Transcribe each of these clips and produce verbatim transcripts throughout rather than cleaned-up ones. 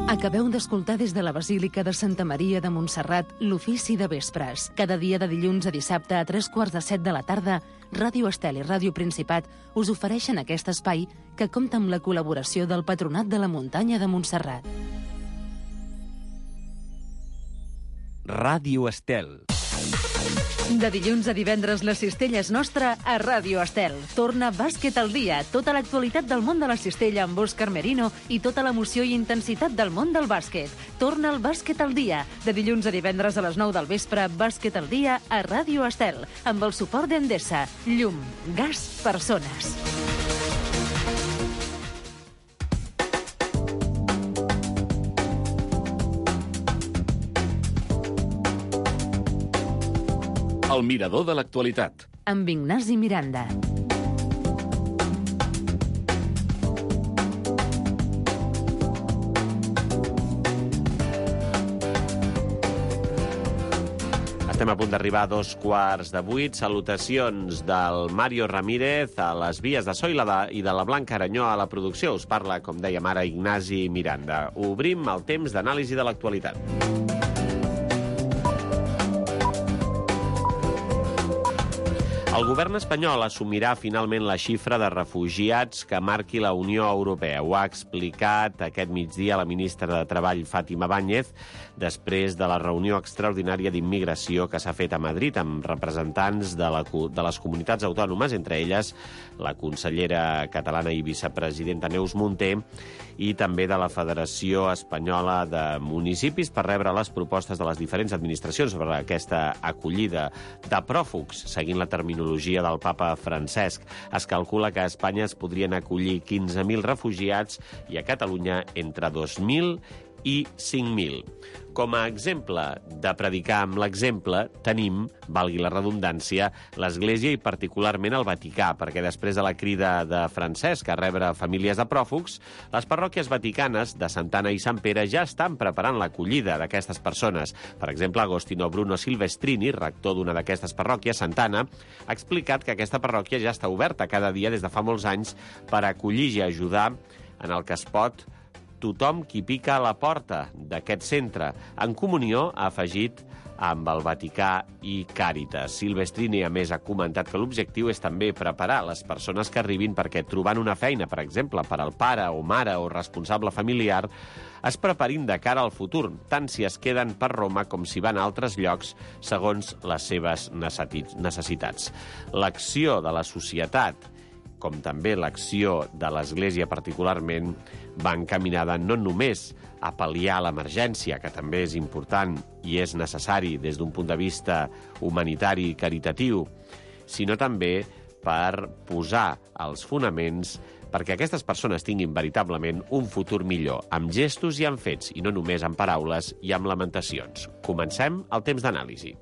Acabeu d'escoltar des de la Basílica de Santa Maria de Montserrat l'ofici de vespres. Cada dia de dilluns a dissabte a tres quarts de set de la tarda, Ràdio Estel i Ràdio Principat us ofereixen aquest espai que compta amb la col·laboració del Patronat de la Muntanya de Montserrat. Ràdio Estel. De dilluns a divendres la cistella és nostra a Ràdio Estel. Torna Bàsquet al dia, tota l'actualitat del món de la cistella amb Òscar Merino i tota l'emoció i intensitat del món del bàsquet. Torna el Bàsquet al dia. De dilluns a divendres a les nou del vespre, Bàsquet al dia a Ràdio Estel, amb el suport d'Endesa. Llum, gas, persones. El mirador de l'actualitat. Amb Ignasi Miranda. Estem a punt d'arribar a dos quarts de vuit. Salutacions del Mario Ramírez a les vies de so i, la de, i de la Blanca Aranyó a la producció. Us parla, com dèiem ara, Ignasi Miranda. Obrim el temps d'anàlisi de l'actualitat. El govern espanyol assumirà finalment la xifra de refugiats que marqui la Unió Europea. Ho ha explicat aquest migdia la ministra de Treball, Fátima Báñez, després de la reunió extraordinària d'immigració que s'ha fet a Madrid amb representants de, la, de les comunitats autònomes, entre elles la consellera catalana i vicepresidenta Neus Munté, i també de la Federació Espanyola de Municipis per rebre les propostes de les diferents administracions sobre aquesta acollida de pròfugs, seguint la terminologia del papa Francesc. Es calcula que a Espanya es podrien acollir quinze mil refugiats i a Catalunya entre dos mil i cinc mil. Com a exemple de predicar amb l'exemple, tenim, valgui la redundància, l'Església i particularment el Vaticà, perquè després de la crida de Francesc a rebre famílies de pròfugs, les parròquies vaticanes de Santa Anna i Sant Pere ja estan preparant l'acollida d'aquestes persones. Per exemple, Agostino Bruno Silvestrini, rector d'una d'aquestes parròquies, Santa Anna, ha explicat que aquesta parròquia ja està oberta cada dia des de fa molts anys per acollir i ajudar en el que es pot tothom qui pica a la porta d'aquest centre, en comunió, ha afegit, amb el Vaticà i Càritas. Silvestrini, a més, ha comentat que l'objectiu és també preparar les persones que arribin perquè, trobant una feina, per exemple, per al pare o mare o responsable familiar, es preparin de cara al futur, tant si es queden per Roma com si van a altres llocs, segons les seves necessitats. L'acció de la societat, com també l'acció de l'Església particularment, va encaminada no només a pal·liar l'emergència, que també és important i és necessari des d'un punt de vista humanitari i caritatiu, sinó també per posar els fonaments perquè aquestes persones tinguin veritablement un futur millor, amb gestos i amb fets, i no només amb paraules i amb lamentacions. Comencem el temps d'anàlisi.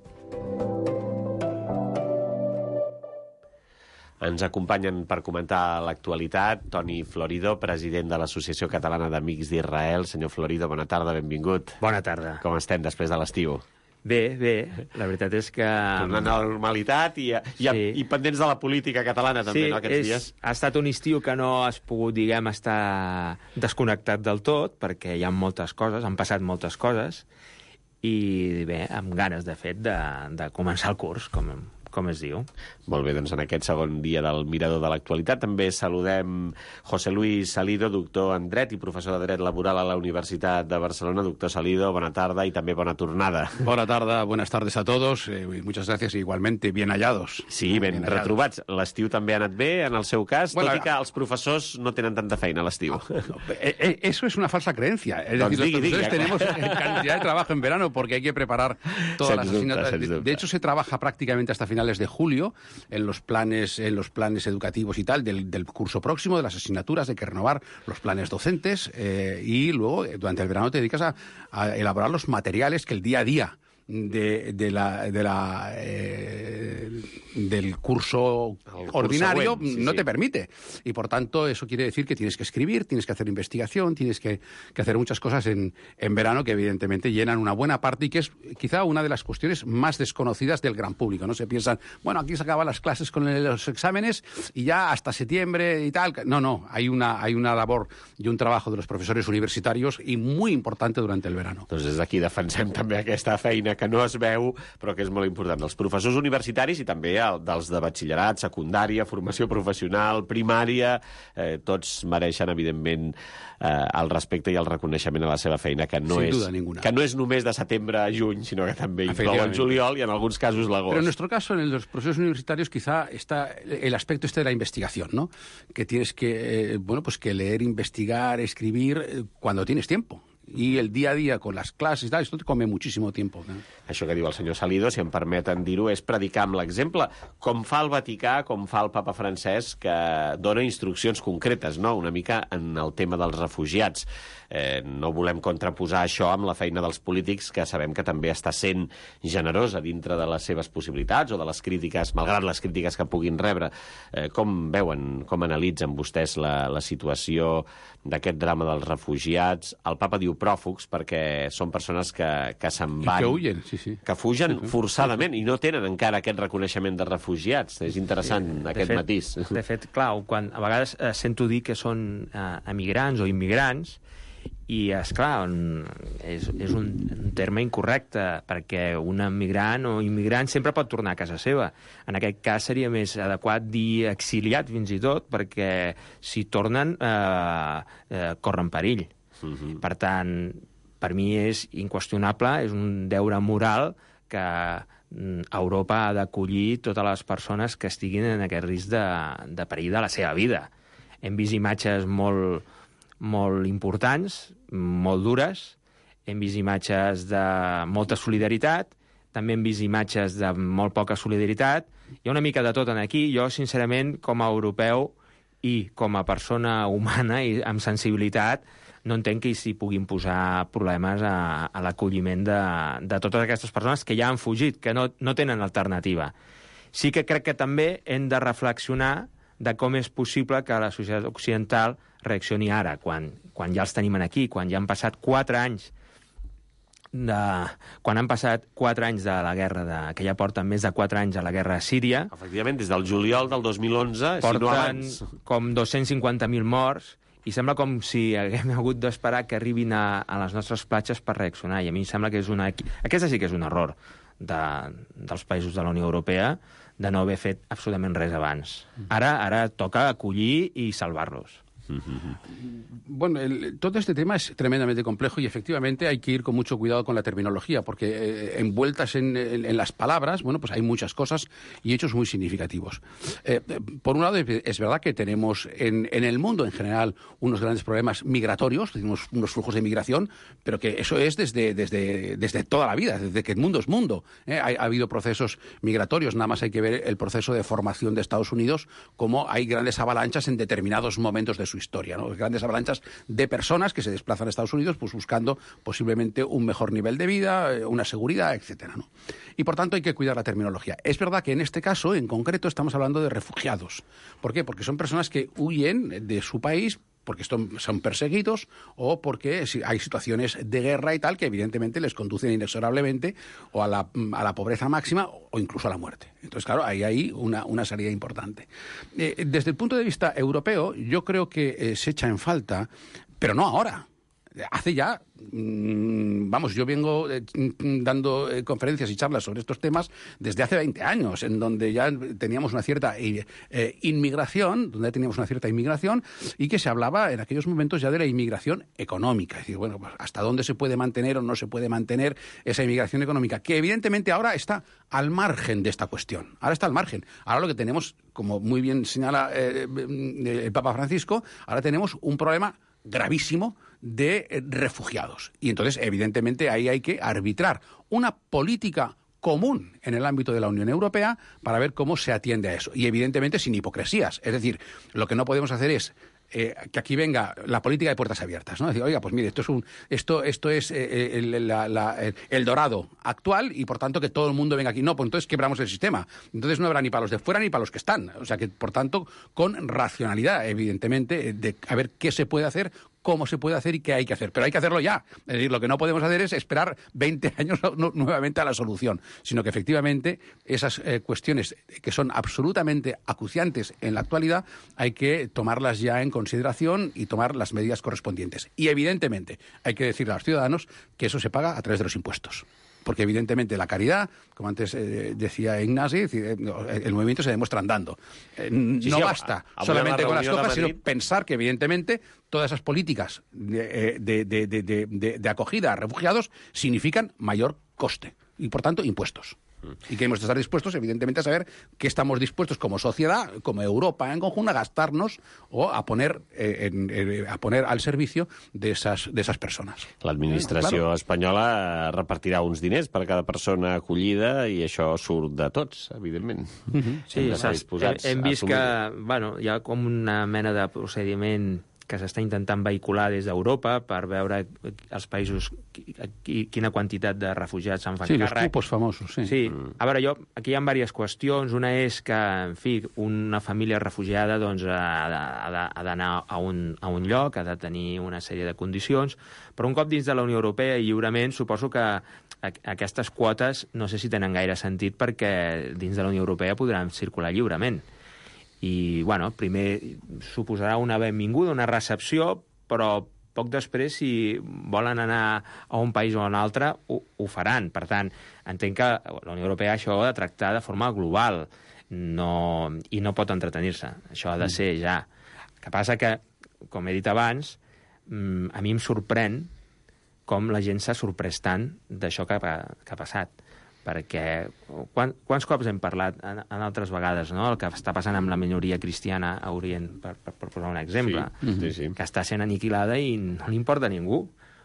Ens acompanyen per comentar l'actualitat Toni Florido, president de l'Associació Catalana d'Amics d'Israel. Senyor Florido, bona tarda, benvingut. Bona tarda. Com estem després de l'estiu? Bé, bé. La veritat és que... Tornant a la normalitat i, i, sí. i pendents de la política catalana també, sí, no, aquests és, dies? Ha estat un estiu que no has pogut, diguem, estar desconnectat del tot, perquè hi ha moltes coses, han passat moltes coses, i bé, amb ganes, de fet, de, de començar el curs, com... com es diu. Molt bé, doncs en aquest segon dia del Mirador de l'Actualitat també saludem José Luis Salido, doctor en Dret i professor de Dret Laboral a la Universitat de Barcelona. Doctor Salido, bona tarda i també bona tornada. Bona tarda, buenas tardes a todos. Eh, muchas gracias, igualmente, bien hallados. Sí, ben, ben retrobats. L'estiu també ha anat bé, en el seu cas, bueno, tot i que els professors no tenen tanta feina a l'estiu. No, no, eh, eso es una falsa creencia. Es doncs decir, digui, los profesores digui, tenemos cantidad de trabajo en verano porque hay que preparar todas las asignaturas. De, de hecho, se trabaja prácticamente hasta finales de julio en los planes en los planes educativos y tal del, del curso próximo, de las asignaturas, hay que renovar los planes docentes eh, y luego durante el verano te dedicas a, a elaborar los materiales que el día a día de, de la, de la eh, del curso curso ordinario següent, sí, no sí. te permite. Y por tanto, eso quiere decir que tienes que escribir, tienes que hacer investigación, tienes que, que hacer muchas cosas en, en verano que evidentemente llenan una buena parte y que es quizá una de las cuestiones más desconocidas del gran público, ¿no? Se piensan, bueno, aquí se acaban las clases con los exámenes y ya hasta septiembre y tal. No, no, hay una, hay una labor i un treball de los professors universitarios i molt important durant el verano. Doncs des d'aquí defensem també aquesta feina que no es veu, però que és molt important. Els professors universitaris i també el, dels de batxillerat, secundària, formació professional, primària, eh, tots mereixen, evidentment, eh, el respecte i el reconeixement a la seva feina, que no, és, que no és només de setembre a juny, sinó que també inclou el juliol i en alguns casos l'agost. Pero en nuestro caso, en los profesores universitarios, quizá está el aspecto este de la investigación, ¿no? Que tienes que, eh, bueno, pues que leer, investigar, escribir eh, cuando tienes tiempo. I el dia a dia, con les classes i tal, esto te come muchísimo tiempo. ¿no? Això que diu el senyor Salido, si em permeten dir-ho, és predicar amb l'exemple, com fa el Vaticà, com fa el papa francès, que dona instruccions concretes, no?, una mica en el tema dels refugiats. Eh, no volem contraposar això amb la feina dels polítics, que sabem que també està sent generosa dintre de les seves possibilitats o de les crítiques, malgrat les crítiques que puguin rebre. Eh, com veuen, com analitzen vostès la, la situació d'aquest drama dels refugiats? El papa diu pròfugs perquè són persones que, que se'n van... Que huyen, sí, sí. Que fugen forçadament i no tenen encara aquest reconeixement de refugiats. És interessant sí, aquest fet, matís. De fet, clar, quan a vegades eh, sento dir que són eh, emigrants o immigrants, i, esclar, és, és un, un terme incorrecte, perquè un emigrant o immigrant sempre pot tornar a casa seva. En aquest cas seria més adequat dir exiliat, fins i tot, perquè si tornen eh, eh, corren perill. Uh-huh. Per tant, per mi és inqüestionable, és un deure moral que Europa ha d'acollir totes les persones que estiguin en aquest risc de, de perill de la seva vida. Hem vist imatges molt, molt importants, molt dures, hem vist imatges de molta solidaritat, també hem vist imatges de molt poca solidaritat, hi ha una mica de tot en aquí. Jo, sincerament, com a europeu i com a persona humana i amb sensibilitat, no entenc que s'hi puguin posar problemes a, a l'acolliment de, de totes aquestes persones que ja han fugit, que no, no tenen alternativa. Sí que crec que també hem de reflexionar de com és possible que la societat occidental reaccioni ara, quan, quan ja els tenim aquí, quan ja han passat quatre anys de, quan han passat quatre anys de la guerra, de, que ja porten més de quatre anys a la guerra a Síria. Efectivament, des del juliol del dos mil onze, si no abans. Porten com dos-cents cinquanta mil morts, i sembla com si haguem hagut d'esperar que arribin a, a les nostres platges per reaccionar. I a mi em sembla que és una... Aquesta sí que és un error de, dels països de la Unió Europea, de no haver fet absolutament res abans. Ara, ara toca acollir i salvar-los. Bueno, el, todo este tema es tremendamente complejo y efectivamente hay que ir con mucho cuidado con la terminología, porque eh, envueltas en, en, en las palabras, bueno, pues hay muchas cosas y hechos muy significativos. Eh, por un lado, es verdad que tenemos en, en el mundo en general unos grandes problemas migratorios, tenemos unos flujos de migración, pero que eso es desde, desde, desde toda la vida, desde que el mundo es mundo. ¿eh? Ha, ha habido procesos migratorios, nada más hay que ver el proceso de formación de Estados Unidos, como hay grandes avalanchas en determinados momentos de su historia, ¿no? Grandes avalanchas de personas que se desplazan a Estados Unidos pues buscando posiblemente un mejor nivel de vida, una seguridad, etcétera, ¿no? Y por tanto hay que cuidar la terminología. Es verdad que en este caso, en concreto, estamos hablando de refugiados. ¿Por qué? Porque son personas que huyen de su país porque son perseguidos o porque hay situaciones de guerra y tal que evidentemente les conducen inexorablemente o a la, a la pobreza máxima o incluso a la muerte. Entonces, claro, ahí hay una, una salida importante. Eh, desde el punto de vista europeo, yo creo que eh, se echa en falta, pero no ahora. Hace ya, mmm, vamos, yo vengo eh, dando eh, conferencias y charlas sobre estos temas desde hace veinte años, en donde ya teníamos una cierta eh, eh, inmigración, donde teníamos una cierta inmigración y que se hablaba en aquellos momentos ya de la inmigración económica. Es decir, bueno, pues hasta dónde se puede mantener o no se puede mantener esa inmigración económica, que evidentemente ahora está al margen de esta cuestión. Ahora está al margen. Ahora lo que tenemos, como muy bien señala eh, el Papa Francisco, ahora tenemos un problema gravísimo de refugiados. Y entonces, evidentemente, ahí hay que arbitrar una política común en el ámbito de la Unión Europea para ver cómo se atiende a eso. Y, evidentemente, sin hipocresías. Es decir, lo que no podemos hacer es eh, que aquí venga la política de puertas abiertas, ¿no? Decir, oiga, pues mire, esto es un esto esto es eh, el, la, la, el Dorado actual y por tanto que todo el mundo venga aquí. No, pues entonces quebramos el sistema. Entonces no habrá ni para los de fuera ni para los que están. O sea que, por tanto, con racionalidad, evidentemente, de a ver qué se puede hacer, cómo se puede hacer y qué hay que hacer. Pero hay que hacerlo ya. Es decir, lo que no podemos hacer es esperar veinte años nuevamente a la solución, sino que efectivamente esas eh, cuestiones que son absolutamente acuciantes en la actualidad hay que tomarlas ya en consideración y tomar las medidas correspondientes. Y evidentemente hay que decirle a los ciudadanos que eso se paga a través de los impuestos. Porque evidentemente la caridad, como antes eh, decía Ignasi, el movimiento se demuestra andando. Eh, sí, no sí, basta a, a solamente con las cojas, sino pensar que evidentemente todas esas políticas de, de, de, de, de, de, de acogida a refugiados significan mayor coste y, por tanto, impuestos. Y que hemos de estar dispuestos, evidentemente, a saber qué estamos dispuestos como sociedad, como Europa en conjunto, a gastarnos o a poner eh, en, eh, a poner al servicio de esas, de esas persones. L'administració eh, claro. espanyola repartirà uns diners per a cada persona acollida i això surt de tots, evidentment. Mm-hmm. Sí, hem, hem vist que bueno, hi ha com una mena de procediment que s'està intentant vehicular des d'Europa per veure els països quina quantitat de refugiats se'n fan sí, càrrec. Sí, els cupos famosos, sí. Sí, a veure, jo, aquí hi ha diverses qüestions. Una és que, en fi, una família refugiada doncs, ha d'anar a, un, a un lloc, ha de tenir una sèrie de condicions, però un cop dins de la Unió Europea i lliurement, suposo que aquestes quotes no sé si tenen gaire sentit perquè dins de la Unió Europea podran circular lliurement. I, bueno, primer suposarà una benvinguda, una recepció, però poc després, si volen anar a un país o a un altre, ho, ho faran. Per tant, entenc que la Unió Europea això ho ha de tractar de forma global no, i no pot entretenir-se. Això ha de ser ja. El que passa que, com he dit abans, a mi em sorprèn com la gent s'ha sorprès tant d'això que, que ha passat. Perquè quan, quants cops hem parlat en, en altres vegades, no? El que està passant amb la minoria cristiana a Orient, per, per, per posar un exemple, sí, sí, sí. que està sent aniquilada i no li importa a ningú.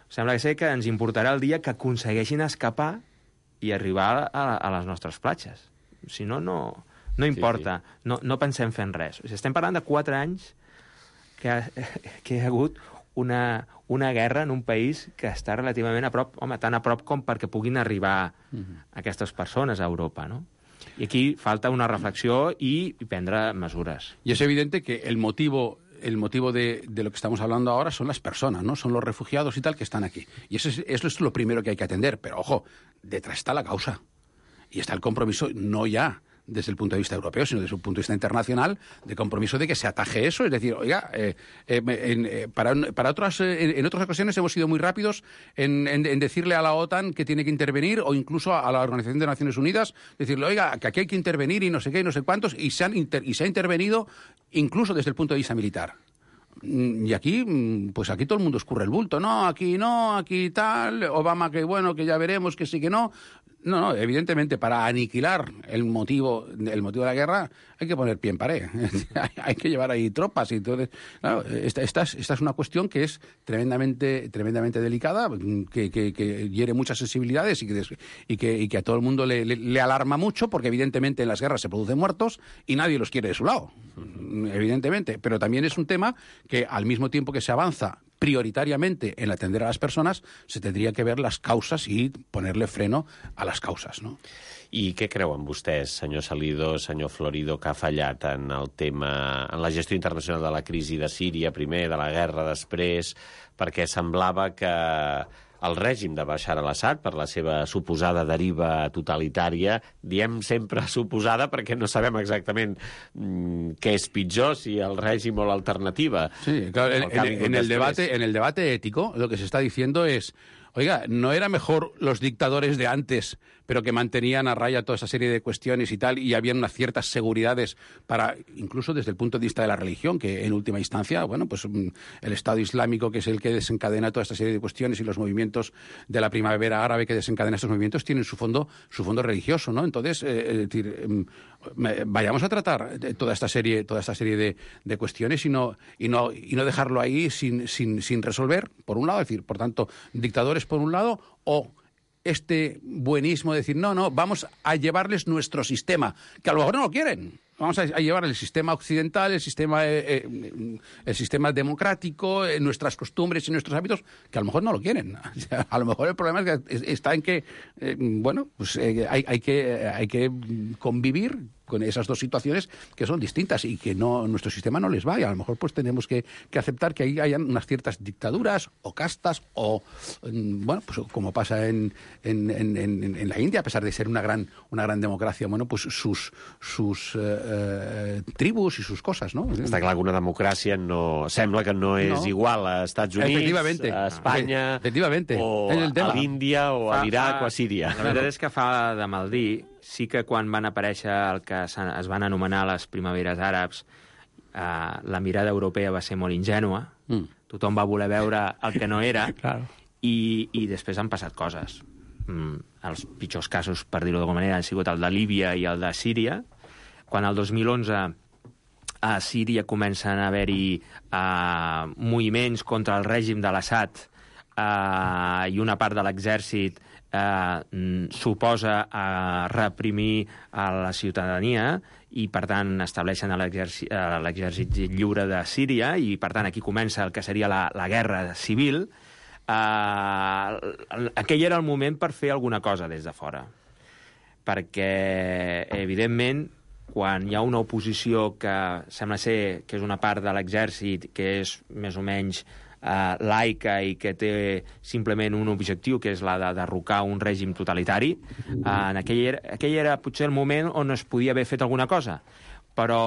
Sembla que sé que ens importarà el dia que aconsegueixin escapar i arribar a, a les nostres platges. Si no, no, no importa. Sí, sí. No, no pensem fent res. O sigui, estem parlant de quatre anys que, ha, que hi ha hagut una, una guerra en un país que està relativament a prop, home, tan a prop com perquè puguin arribar uh-huh. aquestes persones a Europa, no? I aquí falta una reflexió y, y prendre mesures. Y es evidente que el motivo... el motivo de, de lo que estamos hablando ahora son las personas, ¿no? Son los refugiados y tal que están aquí. Y eso es, eso es lo primero que hay que atender. Pero, ojo, detrás está la causa. Y está el compromiso, no ya desde el punto de vista europeo, sino desde un punto de vista internacional, de compromiso de que se ataje eso. Es decir, oiga, eh, eh, en, eh, para, para otras, eh, en otras ocasiones hemos sido muy rápidos en, en, en decirle a la OTAN que tiene que intervenir, o incluso a la Organización de Naciones Unidas, decirle, oiga, que aquí hay que intervenir y no sé qué, y no sé cuántos, y se, han inter, y se ha intervenido incluso desde el punto de vista militar. Y aquí, pues aquí todo el mundo escurre el bulto. No, aquí no, aquí tal, Obama que bueno, que ya veremos, que sí, que no. No, no, evidentemente, para aniquilar el motivo, el motivo de la guerra hay que poner pie en pared. Hay que llevar ahí tropas. Y entonces, claro, esta, esta, es, esta es una cuestión que es tremendamente, tremendamente delicada, que, que, que hiere muchas sensibilidades y que, y que, y que a todo el mundo le, le, le alarma mucho, porque evidentemente en las guerras se producen muertos y nadie los quiere de su lado, evidentemente. Pero también es un tema que, al mismo tiempo que se avanza prioritariamente en atender a las personas, se tendría que ver las causas y ponerle freno a les causes, no? I què creuen vostès, senyor Salido, senyor Florido, que ha fallat en el tema, en la gestió internacional de la crisi de Síria, primer, de la guerra després, perquè semblava que el règim de Bashar al-Assad, per la seva suposada deriva totalitària, diem sempre suposada perquè no sabem exactament mm, què és pitjor, si el règim o l'alternativa. Sí, claro, en, en, en, el debate, en el debate ético lo que se está diciendo es, oiga, ¿no era mejor los dictadores de antes, pero que mantenían a raya toda esa serie de cuestiones y tal, y habían unas ciertas seguridades para, incluso desde el punto de vista de la religión, que en última instancia, bueno, pues el Estado Islámico, que es el que desencadena toda esta serie de cuestiones, y los movimientos de la primavera árabe que desencadena estos movimientos, tienen su fondo, su fondo religioso, ¿no? Entonces, eh, es decir, eh, vayamos a tratar toda esta serie, toda esta serie de, de cuestiones y no, y no, y no dejarlo ahí sin, sin, sin resolver, por un lado, es decir, por tanto, dictadores por un lado, o este buenismo de decir, no, no, vamos a llevarles nuestro sistema, que a lo mejor no lo quieren. vamos a, a llevar el sistema occidental, el sistema, eh, eh, el sistema democrático, eh, nuestras costumbres y nuestros hábitos, que a lo mejor no lo quieren. O sea, a lo mejor el problema es que está en que, eh, bueno, pues eh, hay, hay, que, hay que convivir con esas dos situaciones que son distintas y que no nuestro sistema no les va. Y a lo mejor pues tenemos que, que aceptar que ahí hayan unas ciertas dictaduras o castas o, bueno, pues como pasa en, en, en, en la India, a pesar de ser una gran, una gran democracia, bueno, pues sus, sus eh, tribus i sus coses, no? Està clar que una democràcia no, sembla que no és no. igual a Estats Units, a Espanya, o a l'Índia, o a l'Iraq, o a Síria. La veritat és que fa de mal dir. Sí que quan van aparèixer el que es van anomenar les primaveres àrabs, eh, la mirada europea va ser molt ingènua, mm. tothom va voler veure el que no era, claro. i, i després han passat coses. Mm, els pitjors casos, per dir-ho d'alguna manera, han sigut el de Líbia i el de Síria. Quan el dos mil onze a Síria comencen a haver-hi eh, moviments contra el règim de l'Assad eh, i una part de l'exèrcit Eh, suposa a reprimir a la ciutadania i, per tant, estableixen l'exèrcit lliure de Síria i, per tant, aquí comença el que seria la, la guerra civil. Eh, aquell era el moment per fer alguna cosa des de fora. Perquè, evidentment, quan hi ha una oposició que sembla ser que és una part de l'exèrcit que és més o menys Uh, laica i que té simplement un objectiu, que és la de derrocar un règim totalitari, uh, en aquell, era, aquell era potser el moment on es podia haver fet alguna cosa. Però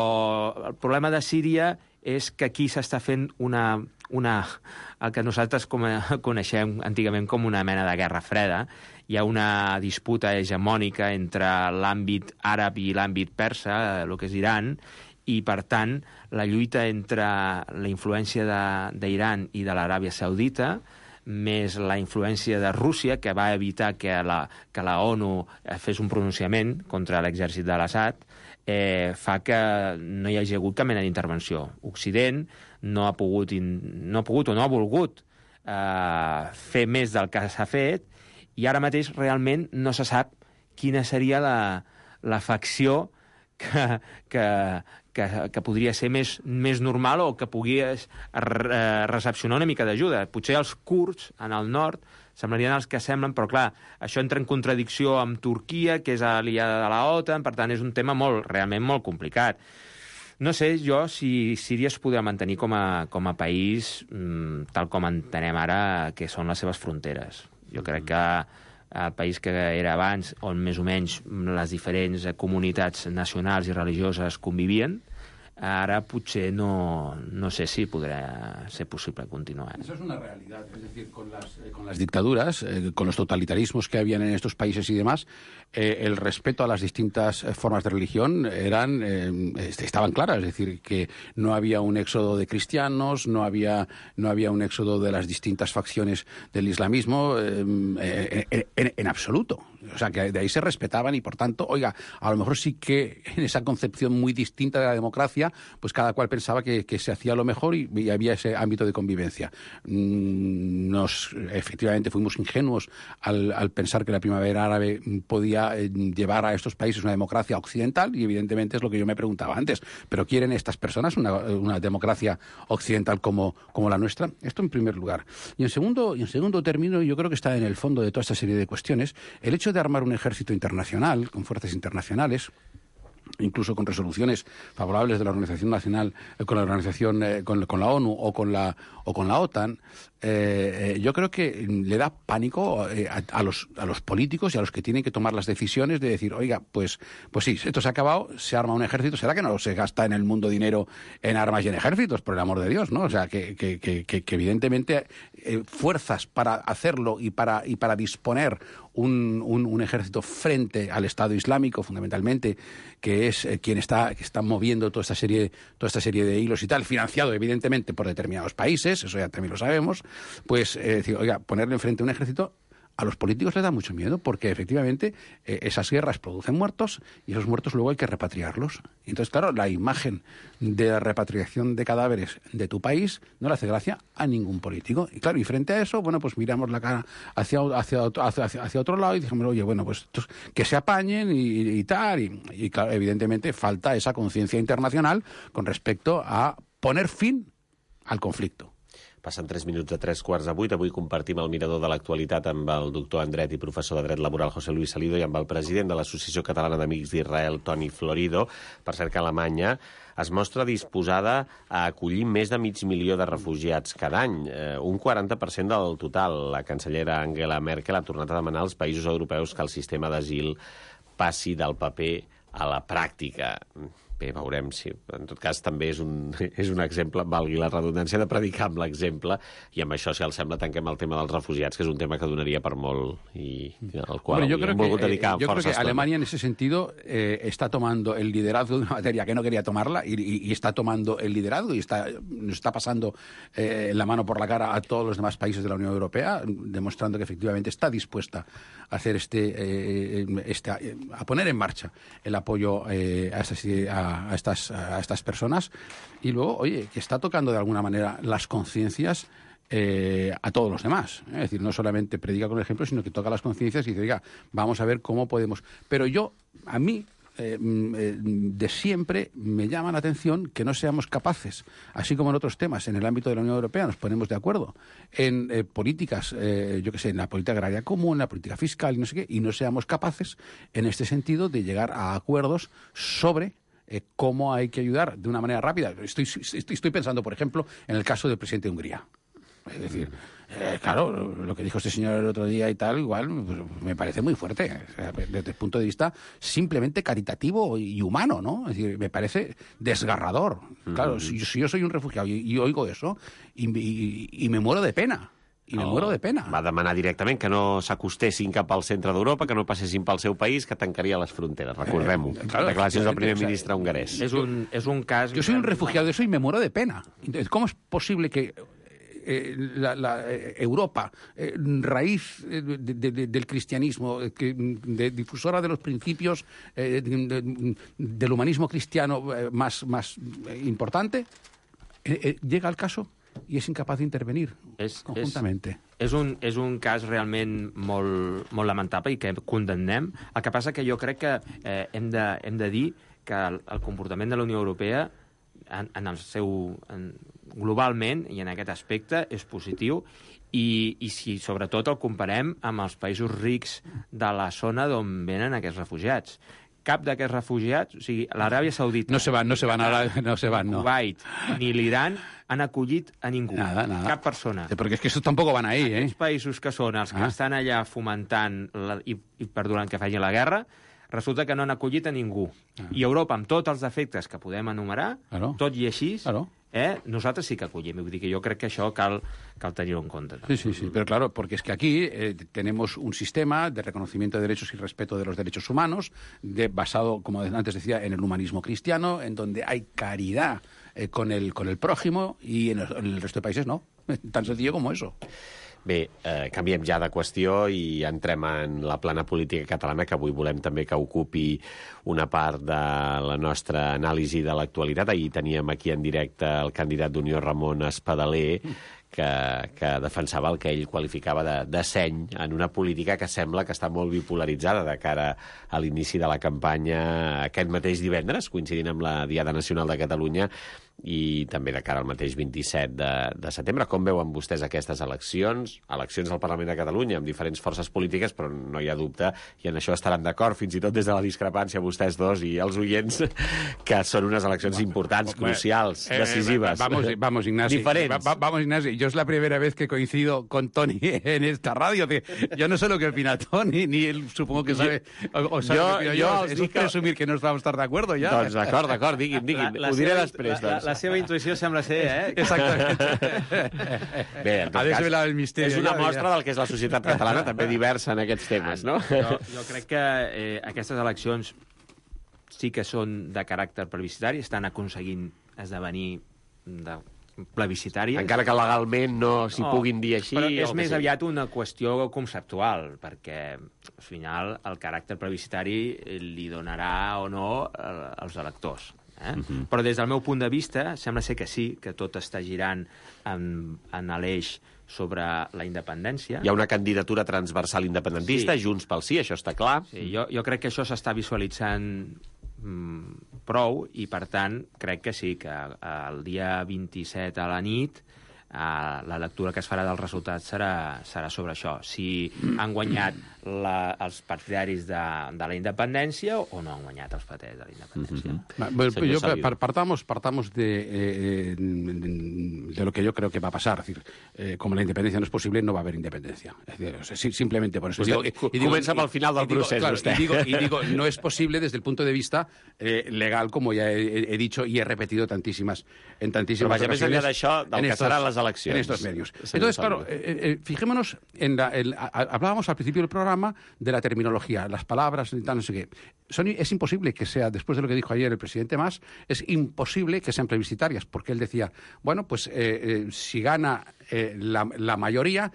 el problema de Síria és que aquí s'està fent una, una, el que nosaltres com a, coneixem antigament com una mena de guerra freda. Hi ha una disputa hegemònica entre l'àmbit àrab i l'àmbit persa, el que és Iran, i, per tant, la lluita entre la influència d'Iran i de l'Aràbia Saudita, més la influència de Rússia, que va evitar que la, que la ONU fes un pronunciament contra l'exèrcit de l'Assad, eh, fa que no hi hagi hagut cap mena d'intervenció. Occident no ha pogut, no ha pogut o no ha volgut eh, fer més del que s'ha fet, i ara mateix realment no se sap quina seria la, la facció que, que, que, que podria ser més, més normal o que pogués recepcionar una mica d'ajuda. Potser els kurds, en el nord, semblarien els que semblen, però clar, això entra en contradicció amb Turquia, que és aliada de la OTAN, per tant és un tema molt, realment molt complicat. No sé jo si Síria es podrà mantenir com a, com a país mmm, tal com entenem ara que són les seves fronteres. Jo crec que el país que era abans, on més o menys les diferents comunitats nacionals i religioses convivien, ara potser no, no sé si podrá ser posible continuar. Eso es una realidad. Es decir, con las, eh, con las dictaduras, eh, con los totalitarismos que habían en estos países y demás, eh, el respeto a las distintas eh, formas de religión eran eh, estaban claras. Es decir, que no había un éxodo de cristianos, no había, no había un éxodo de las distintas facciones del islamismo eh, eh, en, en absoluto. O sea, que de ahí se respetaban y, por tanto, oiga, a lo mejor sí que en esa concepción muy distinta de la democracia, pues cada cual pensaba que, que se hacía lo mejor y, y había ese ámbito de convivencia. Nos, efectivamente, fuimos ingenuos al, al pensar que la primavera árabe podía eh, llevar a estos países una democracia occidental, y evidentemente es lo que yo me preguntaba antes. ¿Pero quieren estas personas una, una democracia occidental como, como la nuestra? Esto en primer lugar. Y en segundo, y en segundo término, yo creo que está en el fondo de toda esta serie de cuestiones el hecho de armar un ejército internacional, con fuerzas internacionales, incluso con resoluciones favorables de la Organización Nacional, eh, con la organización, eh, con, con la ONU o con la o con la OTAN, eh, eh, yo creo que le da pánico eh, a, a los a los políticos y a los que tienen que tomar las decisiones de decir, oiga, pues pues sí, esto se ha acabado, se arma un ejército, ¿será que no se gasta en el mundo dinero en armas y en ejércitos, por el amor de Dios, ¿no? O sea, que, que, que, que, que evidentemente eh, fuerzas para hacerlo y para y para disponer un, un, un ejército frente al Estado Islámico, fundamentalmente, que es eh, quien está que está moviendo toda esta serie toda esta serie de hilos y tal, financiado evidentemente por determinados países, eso ya también lo sabemos, pues eh, decir, oiga, ponerle enfrente un ejército a los políticos les da mucho miedo porque efectivamente eh, esas guerras producen muertos y esos muertos luego hay que repatriarlos. Entonces, claro, la imagen de la repatriación de cadáveres de tu país no le hace gracia a ningún político. Y claro, y frente a eso, bueno, pues miramos la cara hacia, hacia, hacia, hacia otro lado y dijimos, oye, bueno, pues estos, que se apañen y, y tal. Y, y claro, evidentemente falta esa conciencia internacional con respecto a poner fin al conflicto. Passen tres minuts de tres quarts de vuit. Avui compartim el mirador de l'actualitat amb el doctor en dret i professor de dret laboral José Luis Salido i amb el president de l'Associació Catalana d'Amics d'Israel, Toni Florido. Per cert que Alemanya es mostra disposada a acollir més de mig milió de refugiats cada any, eh, un quaranta per cent del total. La cancellera Angela Merkel ha tornat a demanar als països europeus que el sistema d'asil passi del paper a la pràctica. Bé, veurem si... En tot cas, també és un, és un exemple, valgui la redundància, de predicar amb l'exemple, i amb això, si els sembla, tanquem el tema dels refugiats, que és un tema que donaria per molt i al qual bueno, hem volgut que, dedicar eh, yo força creo que estona. Alemania, en ese sentido, eh, está tomando el liderazgo de una materia que no quería tomarla y, y, y está tomando el liderazgo y está, nos está pasando eh, la mano por la cara a todos los demás países de la Unión Europea, demostrando que efectivamente está dispuesta a hacer este, eh, este a poner en marcha el apoyo eh, a, estas, a, a estas a estas personas y luego, oye, que está tocando de alguna manera las conciencias eh, a todos los demás. Es decir, no solamente predica con el ejemplo, sino que toca las conciencias y dice, oiga, vamos a ver cómo podemos... Pero yo, a mí, eh, de siempre me llama la atención que no seamos capaces, así como en otros temas, en el ámbito de la Unión Europea nos ponemos de acuerdo en eh, políticas, eh, yo qué sé, en la política agraria común, en la política fiscal y no sé qué, y no seamos capaces, en este sentido, de llegar a acuerdos sobre Eh, cómo hay que ayudar de una manera rápida. Estoy, estoy, estoy pensando, por ejemplo, en el caso del presidente de Hungría. Es decir, eh, claro, lo que dijo este señor el otro día y tal, igual, pues, me parece muy fuerte, o sea, desde el punto de vista simplemente caritativo y humano, ¿no? Es decir, me parece desgarrador. Claro, si, si yo soy un refugiado y, y oigo eso, y, y, y me muero de pena. I me muero de pena. Va demanar directament que no s'acostessin cap al centre d'Europa, que no passessin pel seu país, que tancaria les fronteres. Recordem-ho. Eh, claro, declaracions del primer ministre hongarès. És un, és un cas... Yo soy un refugiado de eso y me muero de pena. Entonces, ¿cómo es posible que eh, la, la eh, Europa, eh, raíz eh, de, de, del cristianismo, eh, que, de, difusora de los principios eh, de, de, del humanismo cristiano eh, más, más eh, importante, eh, eh, llega al caso i és incapaç d'intervenir és, conjuntament. És, és, un, és un cas realment molt, molt lamentable i que condemnem. El que passa que jo crec que eh, hem, de, hem de dir que el, el comportament de la Unió Europea en, en el seu, en, globalment i en aquest aspecte és positiu i, i si sobretot el comparem amb els països rics de la zona d'on venen aquests refugiats. Cap d'aquests refugiats, o sigui, l'Aràbia Saudita... No se van, no se van, ara, no se van, no. Kuwait ni l'Iran han acollit a ningú. Nada, nada. Cap persona. Perquè és que estos tampoc van ahí, eh? Aquests països que són els que ah. estan allà fomentant la, i, i perdonant que facin la guerra, resulta que no han acollit a ningú. Ah. I Europa, amb tots els defectes que podem enumerar, claro. tot i així... Claro. Eh, nosotros sí que acollim. Vull dir que jo crec que això cal, cal tenir-ho en compte. Sí, sí, sí, pero claro, porque es que aquí eh, tenemos un sistema de reconocimiento de derechos y respeto de los derechos humanos, de, basado, como antes decía, en el humanismo cristiano, en donde hay caridad eh, con, el, con el prójimo, y en el, en el resto de países no. Tan sencillo como eso. Bé, eh, canviem ja de qüestió i entrem en la plana política catalana, que avui volem també que ocupi una part de la nostra anàlisi de l'actualitat. Ahir teníem aquí en directe el candidat d'Unió, Ramon Espadaler, que, que defensava el que ell qualificava de, de seny en una política que sembla que està molt bipolaritzada de cara a l'inici de la campanya aquest mateix divendres, coincidint amb la Diada Nacional de Catalunya, i també de cara al mateix vint-i-set de, de setembre. Com veuen vostès aquestes eleccions? Eleccions al Parlament de Catalunya amb diferents forces polítiques, però no hi ha dubte, i en això estaran d'acord, fins i tot des de la discrepància, vostès dos i els oients, que són unes eleccions importants, crucials, decisives. Vamos, vamos, Ignasi. Diferents. Va, vamos, Ignasi. Yo es la primera vez que coincido con Toni en esta radio. Yo no sé lo que opina Toni, ni él supongo que sabe, o, o sabe jo, que opino yo. jo Es un presumir que no vamos a estar de acuerdo ja. Doncs d'acord, d'acord, digui'm, digui'm. La, la Ho diré seva, després, la, doncs. La, la seva intuïció sembla ser, eh? Exactament. Bé, en tot ha desvelat el misteri. És una ja, mostra ja. del que és la societat catalana, també diversa en aquests temes, no? Jo, jo crec que eh, aquestes eleccions sí que són de caràcter plebiscitari, estan aconseguint esdevenir de plebiscitàries. Encara que legalment no s'hi No, puguin dir així... Però és més sí. aviat una qüestió conceptual, perquè al final el caràcter plebiscitari li donarà o no als electors. Eh? Uh-huh. Però des del meu punt de vista sembla ser que sí, que tot està girant en, en l'eix sobre la independència. Hi ha una candidatura transversal independentista, sí. Junts pel Sí, això està clar. Sí, jo, jo crec que això s'està visualitzant mm, prou, i per tant crec que sí, que el dia vint-i-set a la nit Uh, la lectura que es farà dels resultats serà, serà sobre això. Si han guanyat la, els partidaris de, de la independència o no han guanyat els partidaris de la independència. Mm-hmm. Bueno, yo, par, partamos partamos de, eh, de lo que yo creo que va a pasar. Es decir, eh, como la independencia no es posible, no va a haber independencia. Es decir, o sea, sí, simplemente por eso. Usted, y digo, y digo, comença pel final del y digo, procés. Claro, usted. y, digo, y digo, no es posible desde el punto de vista eh, legal, como ya he, he dicho y he repetido tantísimas, en tantísimas Però ocasiones. Però d'això, del que seran les eleccions. En estos medios. Entonces, claro, eh, eh, fijémonos en la... El, a, hablábamos al principio del programa de la terminología, las palabras y tal, no sé qué. Son, es imposible que sea, después de lo que dijo ayer el presidente Mas, es imposible que sean plebiscitarias, porque él decía, bueno, pues eh, eh, si gana eh, la, la mayoría...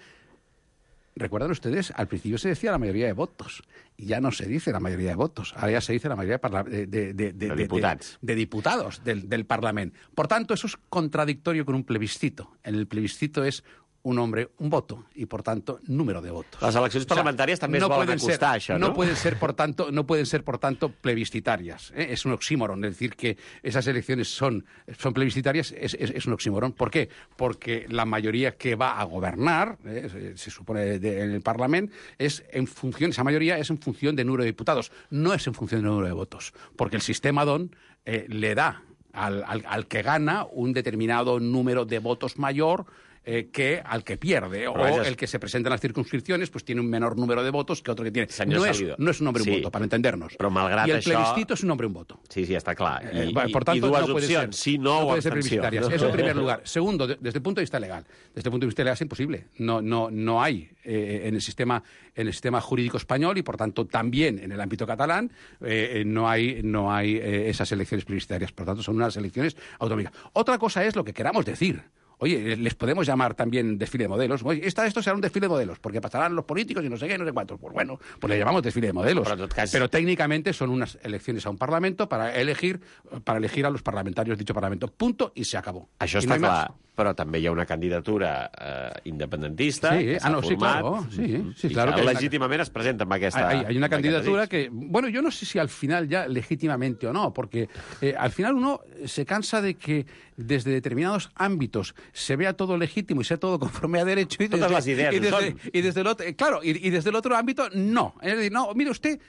Recuerdan ustedes, al principio se decía la mayoría de votos, y ya no se dice la mayoría de votos, ahora ya se dice la mayoría de, de, de, de, de diputados, de, de diputados del, del Parlamento. Por tanto, eso es contradictorio con un plebiscito. En el plebiscito es un hombre, un voto, y por tanto, número de votos. Las elecciones parlamentarias o sea, también no volen acostar ser, això, ¿no? No pueden ser, por tanto, no pueden ser, por tanto, plebiscitarias. ¿eh? Es un oxímoron decir que esas elecciones son, son plebiscitarias, es, es, es un oxímoron. ¿Por qué? Porque la mayoría que va a gobernar, ¿eh? se, se supone de, en el Parlamento, es en función, esa mayoría es en función de número de diputados, no es en función de número de votos, porque el sistema D O N eh, le da al, al, al que gana un determinado número de votos mayor Eh, que al que pierde, o Reyes. el que se presenta en las circunscripciones pues tiene un menor número de votos que otro que tiene. Senyor No es, Salido. no es un hombre sí. un voto, para entendernos. Però malgrat y el això... plebiscito es un hombre un voto. Sí, sí, està clar. I, Eh, por tanto, i dues no puede opcions, ser, sí, no, no o puede ser abstenció. plebiscitarias. Eso en primer lugar. Segundo, de, desde el punto de vista legal. Desde el punto de vista legal es imposible. No, no, no hay eh, en el sistema en el sistema jurídico español y, por tanto, también en el ámbito catalán eh, no hay, no hay eh, esas elecciones plebiscitarias. Por tanto, son unas elecciones autonómicas. Otra cosa es lo que queramos decir. Oye, les podemos llamar también desfile de modelos. Oye, esta, esto será un desfile de modelos, porque pasarán los políticos y no sé qué, no sé cuántos. Pues bueno, pues le llamamos desfile de modelos. Pero, en tot cas... Pero técnicamente son unas elecciones a un parlamento para elegir, para elegir a los parlamentarios de dicho parlamento. Punto, y se acabó. Això I està no clar, más. Però també hi ha una candidatura eh, independentista sí, que s'ha ah, no, format sí, claro, sí, sí, i claro que que legítimament es presenta amb aquesta... Hay, hay una candidatura que, bueno, yo no sé si al final ya legítimamente o no, porque eh, al final uno se cansa de que desde determinados ámbitos se vea todo legítimo y sea todo conforme a derecho. Y desde, Todas las ideas y desde, son. y desde el otro, claro, y, y desde el otro ámbito, no. Es decir, no, mire usted,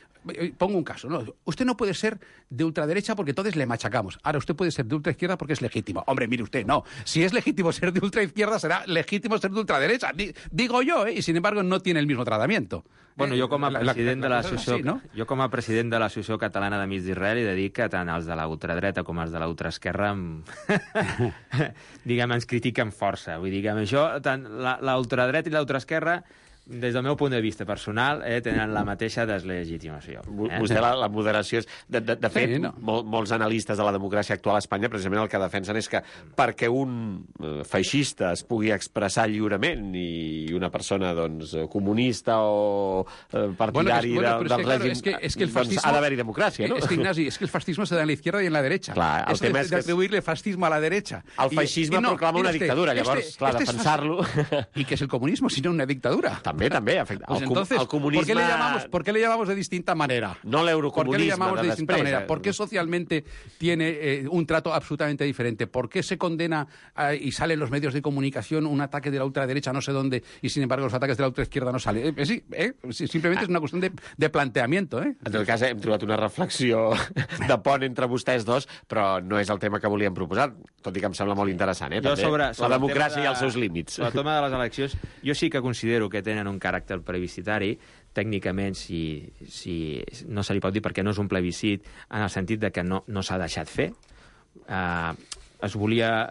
pongo un caso, no, usted no puede ser de ultraderecha porque entonces le machacamos. Ahora usted puede ser de ultraizquierda porque es legítimo. Hombre, mire usted, no. Si es legítimo ser de ultraizquierda, será legítimo ser de ultraderecha. Digo yo, ¿eh? Y sin embargo no tiene el mismo tratamiento. Bueno, jo com a president de l'associació sí, no? jo com a president de l'Associació Catalana d'Amics d'Israel he de dir que tant els de la ultradreta com els de la ultraesquerra diguem, ens critiquen força. Vull dir que amb això, tant la, la ultradreta i la ultraesquerra, des del meu punt de vista personal, eh, tenen la mateixa deslegitimació. Eh? Vostè, la, la moderació és... De, de, de fet, sí, no? mol, molts analistes de la democràcia actual a Espanya precisament el que defensen és que perquè un eh, feixista es pugui expressar lliurement i una persona doncs, comunista o eh, partidari bueno, es, bueno, de, es del que, claro, règim, es que, es que el doncs fascismo, ha d'haver-hi democràcia, no? Es que, Ignasi, es que el fascismo se da en la izquierda y en la derecha. Clar, el es tema de, és que de atribuirle fascismo a la derecha. El feixisme no, proclama una este, dictadura, llavors, este, clar, este defensar-lo... ¿Y qué es el comunismo sino una dictadura? També, també. Afecta. Pues el, entonces, el comunisme... ¿por qué, le llamamos, ¿por qué le llamamos de distinta manera? No l'eurocomunisme. ¿Por qué le llamamos de, de distinta després, manera? eh? ¿Por qué socialmente tiene eh, un trato absolutamente diferente? ¿Por qué se condena eh, y sale en los medios de comunicación un ataque de la ultraderecha no sé dónde y sin embargo los ataques de la ultraizquierda no salen? Eh, sí, eh, simplemente es una cuestión de, de planteamiento. Eh? En tot cas, hem trobat una reflexió de pont entre vostès dos, però no és el tema que volíem proposar, tot i que em sembla molt interessant, eh? També. sobre, sobre la democràcia de, i els seus límits. El tema de les eleccions, jo sí que considero que tenen un caràcter plebiscitari, tècnicament, si, si no se li pot dir perquè no és un plebiscit, en el sentit de que no, no s'ha deixat fer. Uh, es volia...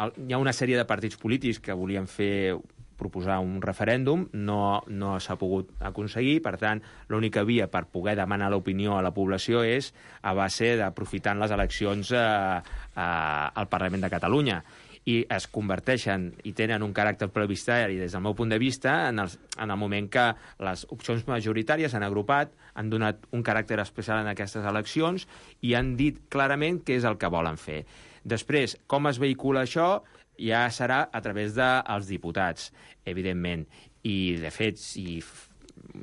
Hi ha una sèrie de partits polítics que volien fer proposar un referèndum, no, no s'ha pogut aconseguir, per tant, l'única via per poder demanar l'opinió a la població és a base d'aprofitant les eleccions eh, eh, al Parlament de Catalunya. i es converteixen i tenen un caràcter plebiscitari des del meu punt de vista en el, en el moment que les opcions majoritàries s'han agrupat, han donat un caràcter especial en aquestes eleccions i han dit clarament què és el que volen fer. Després, com es vehicula això ja serà a través dels diputats, evidentment. I, de fet, si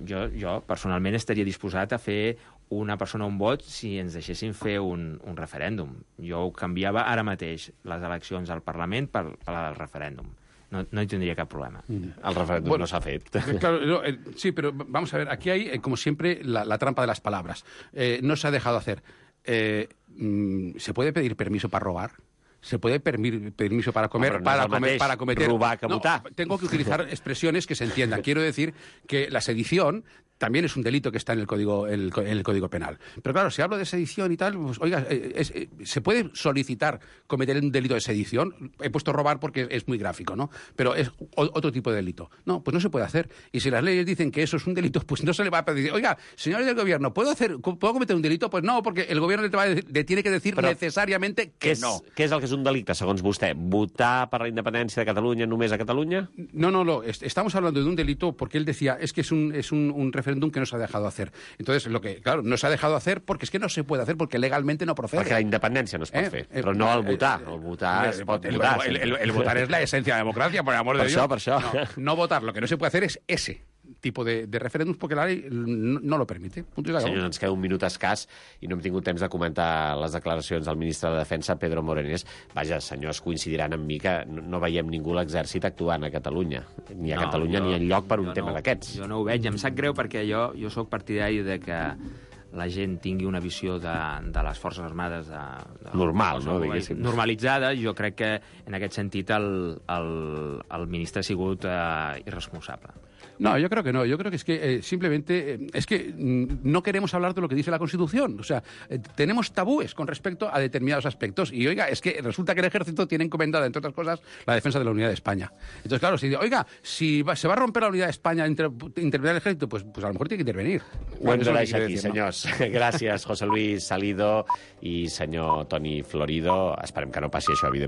jo, jo personalment estaria disposat a fer una persona un vot si ens deixessin fer un, un referèndum. Jo ho canviava ara mateix, les eleccions al Parlament per, per al referèndum. No, no hi tendría cap problema. El referéndum bueno, no s'ha fet. Claro, no, eh, sí, pero vamos a ver, aquí hay, eh, como siempre, la, la trampa de las palabras. Eh, no se ha dejado hacer. Eh, mm, ¿Se puede pedir permiso para robar? ¿Se puede pedir permiso para comer, no para, comer para cometer? Robar que votar. No, tengo que utilizar expresiones que se entiendan. Quiero decir que la sedición también es un delito que está en el Código, el, en el Código Penal. Pero claro, si hablo de sedición y tal, pues oiga, es, es, ¿se puede solicitar cometer un delito de sedición? He puesto robar porque es muy gráfico, ¿no? Pero es otro tipo de delito. No, pues no se puede hacer. Y si las leyes dicen que eso es un delito, pues no se le va a pedir, oiga, señores del gobierno, ¿puedo hacer, ¿puedo cometer un delito? Pues no, porque el gobierno le, va a decir, le tiene que decir Però necesariamente que és, no. Què és el que és un delicte, segons vostè? Votar per la independència de Catalunya només a Catalunya? No, no, no. Estamos hablando de un delito porque él decía, es que es un, es un, un referéndum que no se ha dejado hacer. Entonces, lo que, claro, no se ha dejado hacer porque es que no se puede hacer, porque legalmente no procede. Perquè la independència no es pot eh, fer, eh, però no el votar. Eh, el votar es pot el, votar. El, el, el, el votar es la esencia de la democracia, por el amor de per Dios. Això, per això. No, no votar, lo que no se puede hacer es ese tipo de, de referéndums porque la ley no, no lo permite. Senyors, ens queda un minut escàs i no hem tingut temps de comentar les declaracions del ministre de Defensa, Pedro Morenés. Vaja, senyors, coincidiran amb mi que no veiem ningú l'exèrcit actuant a Catalunya. Ni a no, Catalunya jo, ni enlloc per un tema no, d'aquests. Jo no ho veig. Em sap greu perquè jo, jo sóc partidari de que la gent tingui una visió de, de les Forces Armades de, de normal, no? Diguéssim. Normalitzada. Jo crec que en aquest sentit el, el, el ministre ha sigut eh, irresponsable. No, yo creo que no. Yo creo que es que eh, simplemente eh, es que mm, no queremos hablar de lo que dice la Constitución. O sea, eh, tenemos tabúes con respecto a determinados aspectos. Y, oiga, es que resulta que el Ejército tiene encomendada, entre otras cosas, la defensa de la unidad de España. Entonces, claro, si oiga, si va, se va a romper la unidad de España, inter, intervenir el Ejército, pues, pues a lo mejor tiene que intervenir. Ho hem de deixar aquí, senyors. Gràcies, José Luis Salido i senyor Toni Florido. Esperem que no passi això, evidentment.